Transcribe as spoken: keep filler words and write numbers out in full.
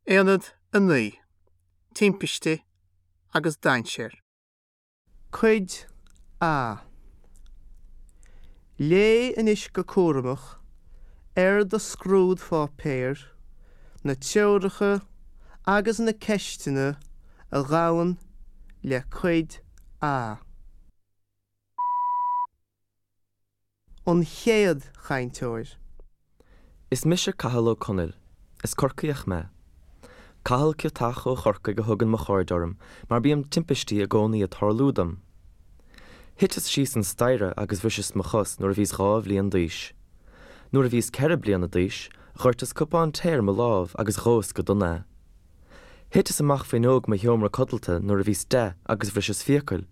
Aonad a naoi, Timpiste agus Dainséar. Cuid A. Léigh anois go cúramach ar do scrúdpháipéar na treoracha agus na ceisteanna a ghabhann le Cuid A. An chéad chainteoir. Is mise Cathal Ó Conaill. Is Corcaíoch mé. Cathal Ciotach ó Chorcaigh a thugann mo chairde orm mar bíonn timpistí i gcónaí ag tarlú dom. Thiteas síos an staighre agus bhriseas mo chos nuair a bhíos dhá bhliain d'aois. Nuair a bhíos ceithre bliana d'aois, dhoirteas cupán tae ar mo lámh agus dhóas go dona é. Thiteas amach fuinneog mo sheomra codlata nuair a bhíos deich agus bhriseas fiacail.